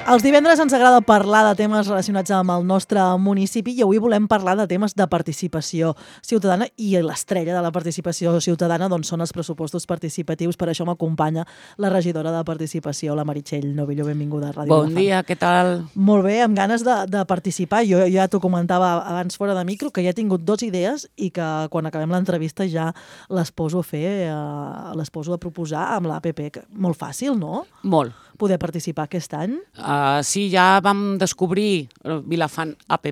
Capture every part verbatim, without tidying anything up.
Els divendres ens agrada parlar de temes relacionats amb el nostre municipi i avui volem parlar de temes de participació ciutadana i l'estrella de la participació ciutadana doncs, són els pressupostos participatius. Per això m'acompanya la regidora de Participació, la Meritxell Novillo. Benvinguda a Ràdio Bon dia, què tal? Molt bé, amb ganes de, de participar. Jo ja t'ho comentava abans fora de micro, que ja he tingut dues idees i que quan acabem l'entrevista ja les poso a fer, eh, les poso a proposar amb l'A P P. Molt fàcil, no? Molt. Poder participar aquest any. Uh, sí, ja vam descobrir Vilafant App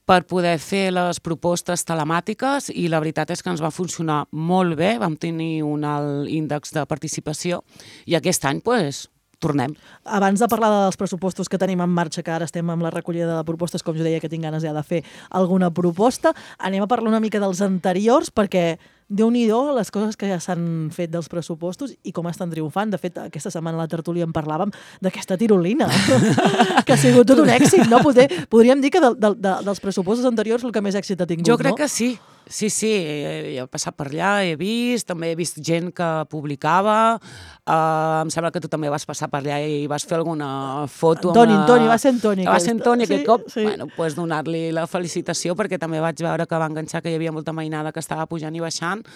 per poder fer les propostes telemàtiques i la veritat és que ens va funcionar molt bé, vam tenir un alt índex de participació i aquest any, doncs, tornem. Abans de parlar dels pressupostos que tenim en marxa, que ara estem amb la recollida de propostes, com jo deia que tinc ganes ja de fer alguna proposta, anem a parlar una mica dels anteriors, perquè déu-n'hi-do les coses que ja s'han fet dels pressupostos i com estan triomfant. De fet, aquesta setmana a la tertúlia en parlàvem d'aquesta tirolina, que ha sigut tot un èxit, no? Poder, podríem dir que de, de, de, dels pressupostos anteriors el que més èxit ha tingut, jo crec no? que sí. Sí, sí, he passat per allà, he vist, també he vist gent que publicava, uh, em sembla que tu també vas passar per allà i vas fer alguna foto. Antoni, amb la... Antoni, va ser Antoni. Va ser Antoni sí, aquest cop. Sí. Bueno, pues donar-li la felicitació perquè també vaig veure que va enganxar que hi havia molta mainada que estava pujant i baixant.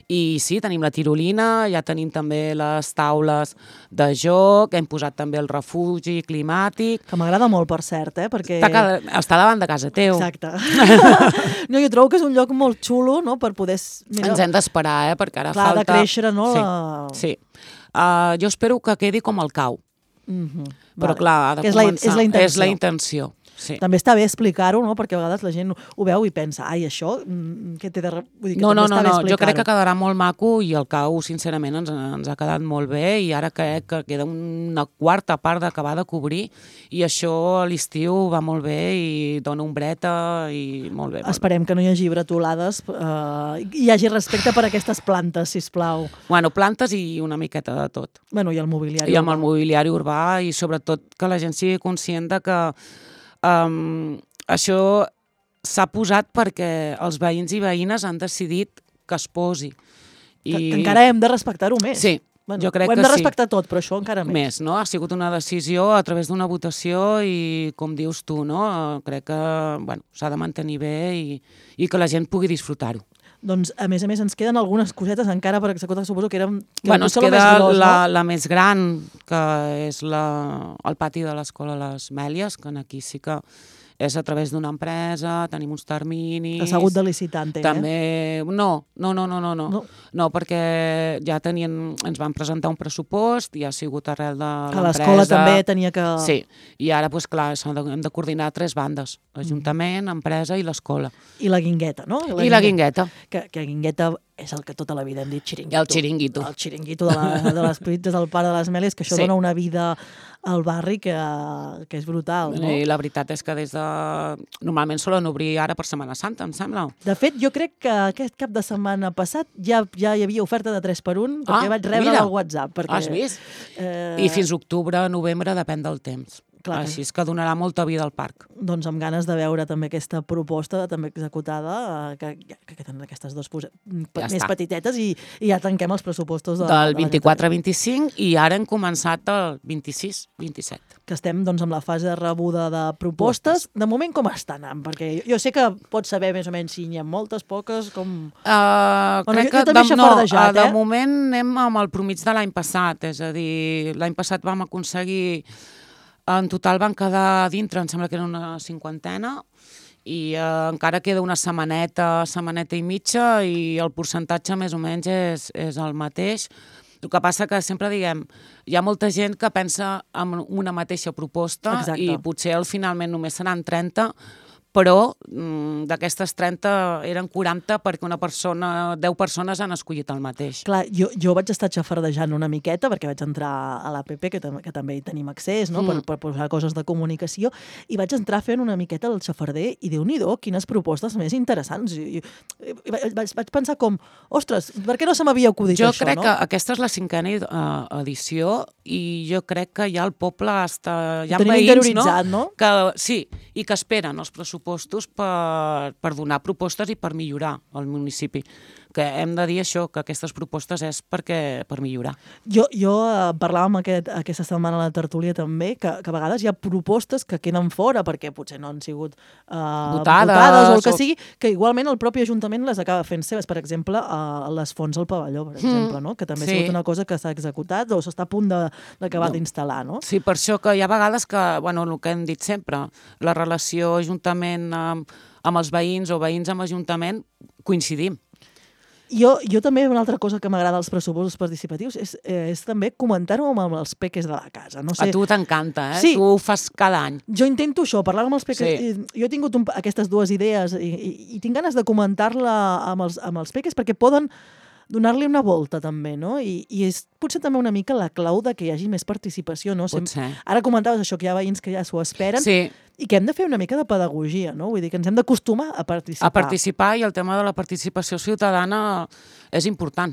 I sí, tenim la tirolina, ja tenim també les taules de joc, hem posat també el refugi climàtic. Que m'agrada molt, per cert, eh? Perquè... Està, cada... està davant de casa teu. Exacte. No, jo trobo que és un lloc molt xulo, no?, per poder... Mira, ens hem d'esperar, eh?, perquè ara clar, falta... de créixer, no? Sí, la... sí. Uh, jo espero que quedi com el cau. Mm-hmm. Però vale. clar, ha de és la, començar... és la intenció. És la intenció. Sí. També està bé explicar-ho, no?, perquè a vegades la gent ho veu i pensa, ai, això, què té de... Vull dir que no, no, no, no. Jo crec que quedarà molt maco i el cau, sincerament, ens, ens ha quedat molt bé i ara crec que queda una quarta part d'acabar de cobrir i això a l'estiu va molt bé i dona ombreta i molt bé. Molt Esperem bé. que no hi hagi bretolades eh, i hi hagi respecte per aquestes plantes, sisplau. Bueno, plantes i una miqueta de tot. Bueno, i el mobiliari I amb urbà. el mobiliari urbà i sobretot que la gent sigui conscient de que Um, això s'ha posat perquè els veïns i veïnes han decidit que es posi. I... Que, que encara hem de respectar-ho més. Sí, bueno, jo crec ho hem que de sí. respectar tot, però això encara més. Més, no? Ha sigut una decisió a través d'una votació i, com dius tu, no? Crec que bueno, s'ha de mantenir bé i, i que la gent pugui disfrutar-ho. Doncs, a més a més, ens queden algunes cosetes encara per executar, suposo que eren... Que bueno, ens queda més gros, la, no? la més gran, que és la, el pati de l'Escola Les Mèlies, que aquí sí que és a través d'una empresa, tenim uns terminis... Que s'ha hagut de licitar, entenc, també... eh? No, no, no, no, no, no. No. No, perquè ja tenien... Ens van presentar un pressupost i ha sigut arrel de que l'empresa... Que l'escola també tenia que... Sí, i ara, doncs clar, s'han de, hem de coordinar tres bandes, l'Ajuntament, empresa i l'escola. I la guingueta, no? I la guingueta. Que, que guingueta és el que tota la vida hem dit xiringuito. El xiringuito. El xiringuito de, la, de les pizzas del pare de les Mèlies, que això sí. Dona una vida al barri que, que és brutal, no? I la veritat és que des de... Normalment solen obrir ara per Setmana Santa, em sembla. De fet, jo crec que aquest cap de setmana passat ja, ja hi havia oferta de tres per un, perquè ah, vaig rebre al WhatsApp. Perquè, has vist? Eh... I fins octubre, novembre, depèn del temps. Clar, així és que donarà molta vida al parc. Doncs amb ganes de veure també aquesta proposta també executada, que, que queden aquestes dues ja més està. Petitetes i, i ja tanquem els pressupostos de, del de vint-i-quatre vint-i-cinc i ara hem començat el vint-i-sis vint-i-set. Que estem doncs, amb la fase de rebuda de propostes. De moment com està anant? Perquè jo, jo sé que pots saber més o menys si n'hi ha moltes, poques, com... Uh, bueno, crec jo, jo que també de, no, eh? de moment anem amb el promig de l'any passat, és a dir, l'any passat vam aconseguir... En total van quedar dintre, em sembla que era una cinquantena, i eh, encara queda una setmaneta, setmaneta i mitja, i el percentatge més o menys és, és el mateix. El que passa que sempre diguem, hi ha molta gent que pensa en una mateixa proposta. Exacte. I potser al finalment només seran trenta, però mm, d'aquestes trenta eren quaranta perquè una persona, deu persones han escollit el mateix. Clar, jo, jo vaig estar xafardejant una miqueta perquè vaig entrar a l'A P P, que, tam que també hi tenim accés, no? mm. per, per posar coses de comunicació, i vaig entrar fent una miqueta el xafarder i déu-n'hi-do, quines propostes més interessants. I, i, i vaig, vaig pensar com, ostres, per què no se m'havia acudit jo això? Jo crec no? que aquesta és la cinquena uh, edició i jo crec que ja el poble està... Hi ha veïns, interioritzat, no? no? Que, sí, i que esperen els pressupostos per, per donar propostes i per millorar el municipi. que hem de dir això, que aquestes propostes és perquè per millorar. Jo, jo eh, parlàvem aquest, aquesta setmana a la tertúlia també, que, que a vegades hi ha propostes que queden fora perquè potser no han sigut eh, Votades, votades o el que o... sigui, que igualment el propi Ajuntament les acaba fent seves. Per exemple, eh, les fonts al pavelló, per exemple, no? Que també sí. ha sigut una cosa que s'ha executat o s'està a punt d'acabar no. d'instal·lar, no? Sí, per això que hi ha vegades que, bueno, el que hem dit sempre, la relació Ajuntament amb, amb els veïns o veïns amb Ajuntament coincidim. Jo, jo també, una altra cosa que m'agrada dels pressupostos participatius és, eh, és també comentar-ho amb els peques de la casa. No sé... A tu t'encanta, eh? Sí. Tu ho fas cada any. Jo intento això, parlar amb els peques. Sí. Jo he tingut un, aquestes dues idees i, i, i tinc ganes de comentar-la amb els, amb els peques perquè poden donar-li una volta també, no? I, i és potser també una mica la clau de que hi hagi més participació, no? Pot ser. Ara comentaves això, que hi ha veïns que ja s'ho esperen sí. i que hem de fer una mica de pedagogia, no? Vull dir que ens hem d'acostumar a participar. A participar, i el tema de la participació ciutadana és important,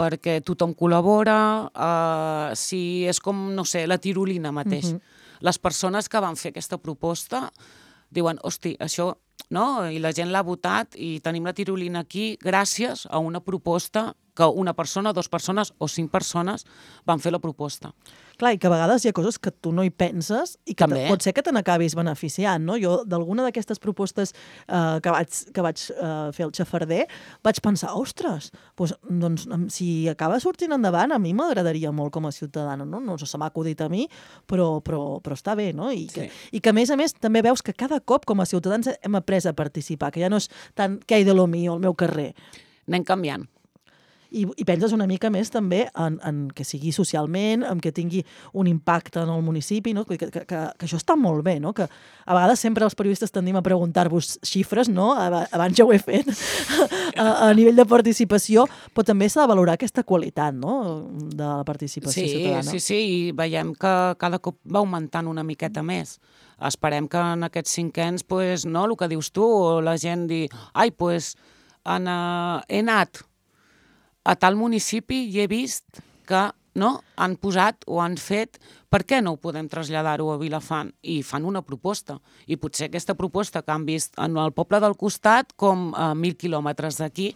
perquè tothom col·labora, eh, si és com, no sé, la tirolina mateix. Uh-huh. Les persones que van fer aquesta proposta diuen, hosti, això... No? I la gent l'ha votat i tenim la tirolina aquí gràcies a una proposta que una persona, dues persones o cinc persones van fer la proposta. Clar, i que a vegades hi ha coses que tu no hi penses i que També. pot ser que te n'acabis beneficiant, no? Jo, d'alguna d'aquestes propostes eh, que vaig, que vaig eh, fer el xafarder, vaig pensar, ostres, doncs, doncs, si acaba sortint endavant, a mi m'agradaria molt com a ciutadana, no? No se m'ha acudit a mi, però, però, però està bé, no? I que, sí. I que, a més a més, també veus que cada cop, com a ciutadans, hem après a participar, que ja no és tant què hi de lo mío, al meu carrer. Anem canviant. I, i penses una mica més també en, en que sigui socialment, en que tingui un impacte en el municipi, no? que, que, que, que això està molt bé, no? Que a vegades sempre els periodistes tendim a preguntar-vos xifres, no? Abans ja ho he fet, a, a nivell de participació, però també s'ha de valorar aquesta qualitat, no? De la participació sí, ciutadana. Sí, sí, i veiem que cada cop va augmentant una miqueta més. Esperem que en aquests cinquens, pues, no, el que dius tu, la gent di, ai, pues, en, uh, he anat a tal municipi i he vist que no, han posat o han fet, per què no ho podem traslladar-ho a Vilafant? I fan una proposta. I potser aquesta proposta que han vist en el poble del costat com a mil quilòmetres d'aquí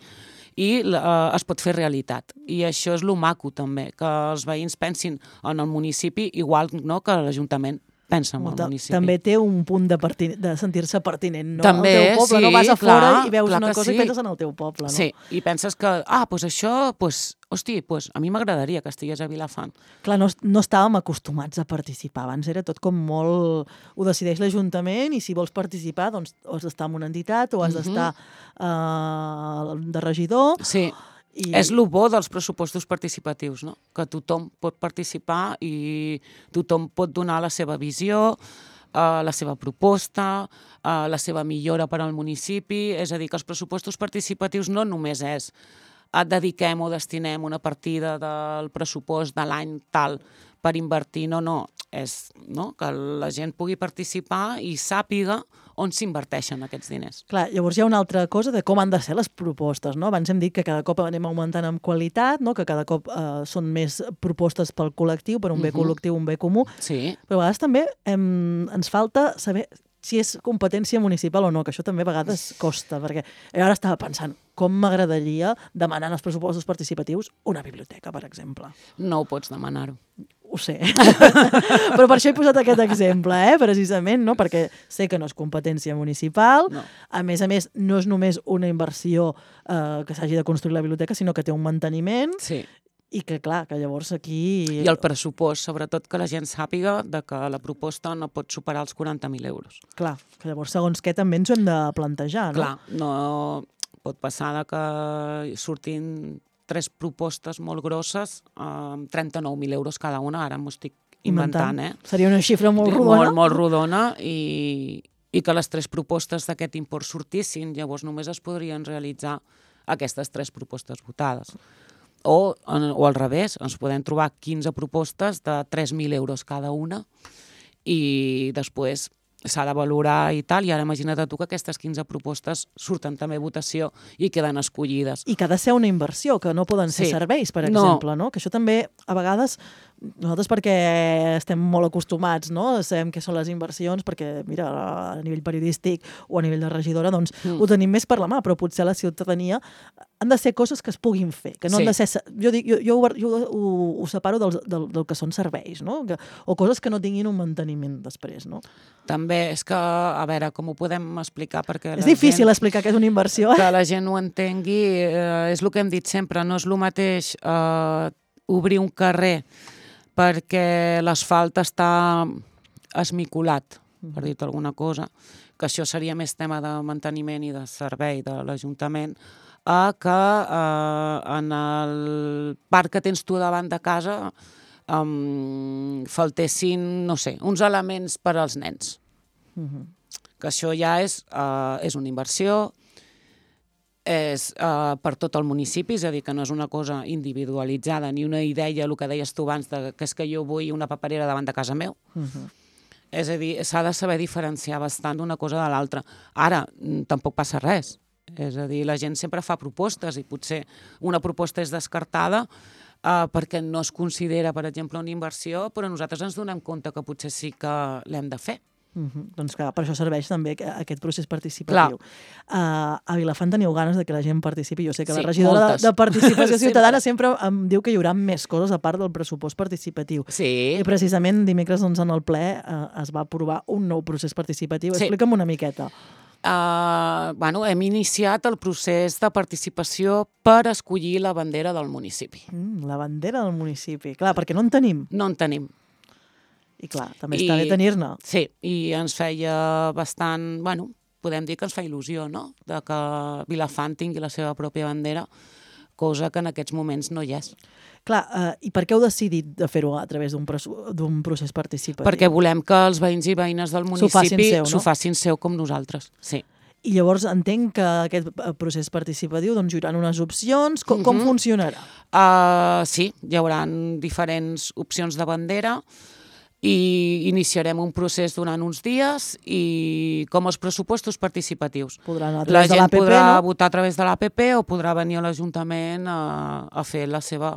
i eh, es pot fer realitat. I això és lo maco també, que els veïns pensin en el municipi igual no, que l'Ajuntament pensa en el municipi. També té un punt de, de sentir-se pertinent, no? També, al teu poble, sí, no vas a clar, fora i veus una cosa sí. i penses en el teu poble, no? Sí, i penses que, ah, doncs això, doncs, hosti, doncs a mi m'agradaria que estigués a Vilafant. Clar, no, no estàvem acostumats a participar. Abans era tot com molt... Ho decideix l'Ajuntament i si vols participar, doncs has d'estar en una entitat o has uh-huh. d'estar uh, de regidor. Sí. I... És el bo dels pressupostos participatius, no? Que tothom pot participar i tothom pot donar la seva visió, eh, la seva proposta, eh, la seva millora per al municipi. És a dir, que els pressupostos participatius no només és et dediquem o destinem una partida del pressupost de l'any tal per invertir, no, no. És no? Que la gent pugui participar i sàpiga on s'inverteixen aquests diners. Clar, llavors hi ha una altra cosa de com han de ser les propostes, no? Abans hem dit que cada cop anem augmentant en qualitat, no? Que cada cop eh, són més propostes pel col·lectiu, per un bé uh-huh. col·lectiu, un bé comú. Sí. Però a vegades també hem, ens falta saber si és competència municipal o no, que això també a vegades costa, perquè jo ara estava pensant com m'agradaria demanar en els pressupostos participatius una biblioteca, per exemple. No ho pots demanar-ho. Ho sé, però per això he posat aquest exemple, eh? Precisament, no? Perquè sé que no és competència municipal, no. A més a més no és només una inversió eh, que s'hagi de construir la biblioteca, sinó que té un manteniment, sí. I que clar, que llavors aquí... I el pressupost, sobretot que la gent sàpiga de que la proposta no pot superar els quaranta mil euros. Clar, que llavors segons què també ens ho hem de plantejar, no? Clar, no pot passar de que surtin tres propostes molt grosses amb eh, trenta-nou mil euros cada una, ara m'ho estic inventant, eh? Seria una xifra molt rodona. Molt, molt rodona i, i que les tres propostes d'aquest import sortissin, llavors només es podrien realitzar aquestes tres propostes votades. O, o al revés, ens podem trobar quinze propostes de tres mil euros cada una i després s'ha de valorar i tal, i ara imagina't tu que aquestes quinze propostes surten també a votació i queden escollides. I que ha de ser una inversió, que no poden ser sí. serveis, per exemple, no. no? Que això també, a vegades, Nosaltres perquè estem molt acostumats, no? Sabem què són les inversions, perquè, mira, a nivell periodístic o a nivell de regidora, doncs mm. ho tenim més per la mà, però potser a la ciutadania han de ser coses que es puguin fer, que no sí. han de ser... Jo, dic, jo, jo, jo ho, ho separo del, del, del que són serveis, no? Que, o coses que no tinguin un manteniment després, no? També és que, a veure, com ho podem explicar? Perquè és difícil gent, explicar què és una inversió. Eh? Que la gent ho entengui, eh, és el que hem dit sempre, no és el mateix eh, obrir un carrer perquè l'asfalt està esmicolat, per dir-te alguna cosa, que això seria més tema de manteniment i de servei de l'Ajuntament, a que eh, en el parc que tens tu davant de casa um, faltessin, no sé, uns elements per als nens. Uh-huh. Que això ja és, uh, és una inversió, és uh, per tot el municipi, és a dir, que no és una cosa individualitzada, ni una idea, el que deies tu abans, de, que és que jo vull una paperera davant de casa meu. Uh-huh. És a dir, s'ha de saber diferenciar bastant una cosa de l'altra. Ara, tampoc passa res. És a dir, la gent sempre fa propostes i potser una proposta és descartada uh, perquè no es considera, per exemple, una inversió, però nosaltres ens donem compte que potser sí que l'hem de fer. Uh-huh. Doncs clar, per això serveix també aquest procés participatiu. Uh, a Vilafant teniu ganes de que la gent participi. Jo sé que sí, la regidora de, de Participació Ciutadana sempre em diu que hi haurà més coses a part del pressupost participatiu. Sí. I precisament dimecres doncs, en el ple uh, es va aprovar un nou procés participatiu. Sí. Explica'm una miqueta. Uh, bueno, hem iniciat el procés de participació per escollir la bandera del municipi. Mm, la bandera del municipi. Clar, perquè no en tenim. No en tenim. I clar, també I, està bé tenir-ne. Sí, i ens feia bastant... Bueno, podem dir que ens fa il·lusió, no?, de que Vilafant tingui la seva pròpia bandera, cosa que en aquests moments no hi és. Clar, uh, i per què heu decidit de fer-ho a través d'un procés participatiu? Perquè volem que els veïns i veïnes del municipi s'ho facin seu com nosaltres, sí. I llavors entenc que aquest procés participatiu doncs, hi haurà unes opcions. Com, uh-huh. com funcionarà? Uh, sí, hi haurà diferents opcions de bandera i iniciarem un procés durant uns dies i com els pressupostos participatius. Podrà anar a través de l'A P P, no? La gent podrà no? votar a través de l'A P P o podrà venir a l'Ajuntament a, a fer la seva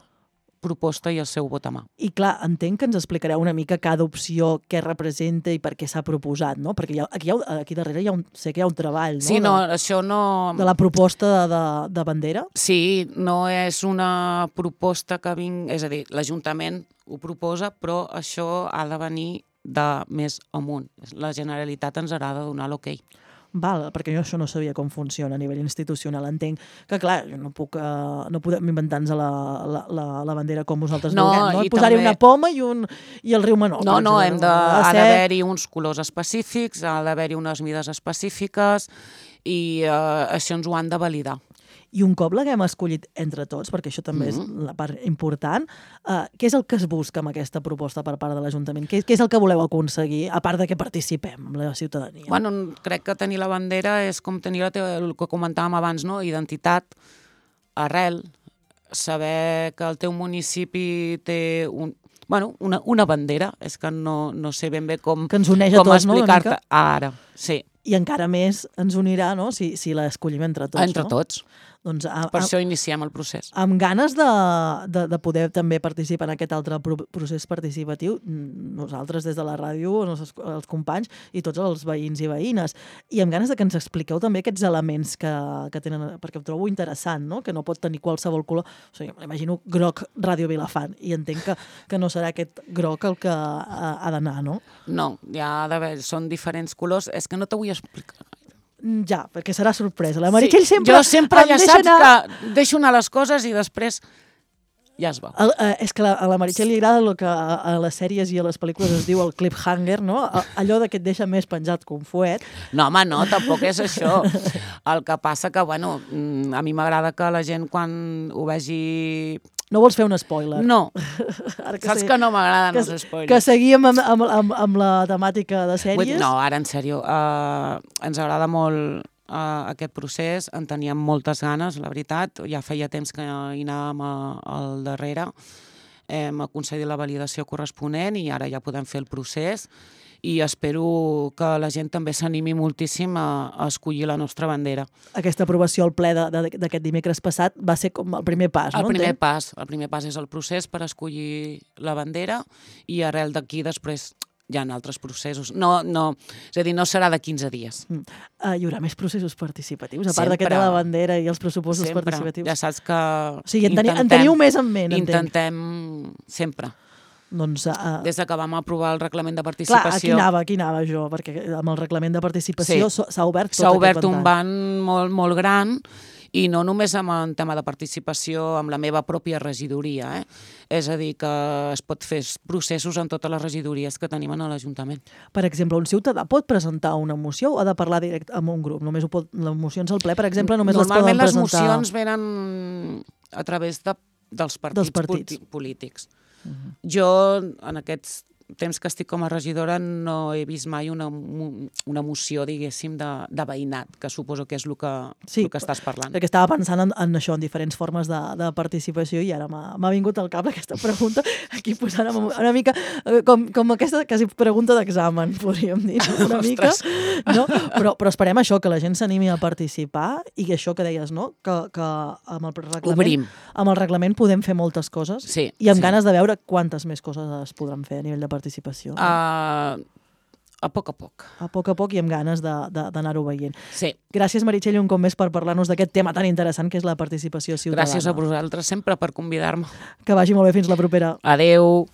proposta i el seu vot a mà. I clar, entenc que ens explicareu una mica cada opció què representa i per què s'ha proposat, no? Perquè hi ha, aquí, hi ha, aquí darrere hi ha un, sé que hi ha un treball, no? Sí, no, de, això no... De la proposta de, de, de bandera? Sí, no és una proposta que vinc... És a dir, l'Ajuntament ho proposa, però això ha de venir de més amunt. La Generalitat ens haurà de donar l'ok. Val, perquè jo això no sabia com funciona a nivell institucional. Entenc que, clar, jo no puc, uh, no podem inventar-nos la, la, la, la bandera com vosaltres no, vulguem, no? Posar-hi també... una poma i, un, i el riu Menor. No, no, hem de, ha d'haver-hi uns colors específics, ha d'haver-hi unes mides específiques i uh, això ens ho han de validar. I un cop l'haguem escollit entre tots, perquè això també mm-hmm. és la part important, uh, què és el que es busca amb aquesta proposta per part de l'Ajuntament? Què, què és el que voleu aconseguir, a part de que participem amb la ciutadania? Bueno, crec que tenir la bandera és com tenir la teva, el que comentàvem abans, no? Identitat, arrel, saber que el teu municipi té un, bueno, una, una bandera, és que no, no sé ben bé com, que ens uneix a com tots, explicar-te no, ara. Sí. I encara més ens unirà, no?, si, si l'escollim entre tots. Entre no? tots. Doncs a, per a, això iniciem el procés. Amb ganes de, de, de poder també participar en aquest altre pro procés participatiu, nosaltres des de la ràdio, els, els companys i tots els veïns i veïnes. I amb ganes de que ens expliqueu també aquests elements que, que tenen, perquè ho trobo interessant, no?, que no pot tenir qualsevol color. O sigui, m'imagino groc Ràdio Vilafant, i entenc que, que no serà aquest groc el que ha, ha d'anar, no? No, hi ha d'haver, són diferents colors. És que no t'ho vull explicar. Ja, perquè serà sorpresa. La Meritxell sí, sempre... Jo sempre ja saps anar... que deixo anar les coses i després ja es va. El, eh, és que la, a la Meritxell li agrada el que a, a les sèries i a les pel·lícules es diu el cliffhanger, no? Allò de que et deixa més penjat que un fuet. No, home, no, tampoc és això. El que passa que, bueno, a mi m'agrada que la gent quan ho vegi... No vols fer un spoiler? No. Ara que Saps sé, que no m'agraden que, els spoilers. Que seguíem amb, amb, amb, amb la temàtica de sèries? No, ara en sèrio. Uh, ens agrada molt uh, aquest procés, en teníem moltes ganes, la veritat. Ja feia temps que hi anàvem a, al darrere. Hem aconseguit la validació corresponent i ara ja podem fer el procés. i espero que la gent també s'animi moltíssim a, a escollir la nostra bandera. Aquesta aprovació al ple d'aquest dimecres passat va ser com el primer pas, no? El primer pas, el primer pas és el procés per escollir la bandera i arrel d'aquí després hi ha altres processos. No, no, és a dir, no serà de quinze dies. Mm. Uh, hi haurà més processos participatius, a part d'aquest de la bandera i els pressupostos sempre. Participatius? Ja saps que... O sigui, en, teni, en teniu més en ment, intentem entenc. sempre. Doncs, uh... Des que vam aprovar el reglament de participació... Clar, aquí anava, aquí anava jo, perquè amb el reglament de participació s'ha sí. obert tot S'ha obert aquest un ban molt, molt gran, i no només amb el tema de participació amb la meva pròpia regidoria, eh? És a dir, que es pot fer processos en totes les regidories que tenim a l'Ajuntament. Per exemple, un ciutadà pot presentar una moció o ha de parlar directe amb un grup? Només ho pot, les mocions al ple, per exemple, només les poden presentar... Normalment les mocions venen a través de, dels partits, dels partits. polítics. Uh-huh. Jo, en aquests temps que estic com a regidora, no he vist mai una, una moció, diguéssim, de, de veïnat, que suposo que és el que, sí, el que estàs parlant. Perquè estava pensant en, en això, en diferents formes de, de participació, i ara m'ha vingut al cap aquesta pregunta, aquí posant una mica com, com aquesta quasi pregunta d'examen, podríem dir, una mica. No? Però, però esperem això, que la gent s'animi a participar, i això que deies, no? Que, que amb el reglament, Obrim. amb el reglament podem fer moltes coses, sí, i amb sí. ganes de veure quantes més coses es podran fer a nivell de participació. participació. Uh, a poc a poc. A poc a poc i amb ganes d'anar-ho veient. Sí. Gràcies, Meritxell, un cop més per parlar-nos d'aquest tema tan interessant que és la participació ciutadana. Gràcies a vosaltres sempre per convidar-me. Que vagi molt bé, fins la propera. Adeu.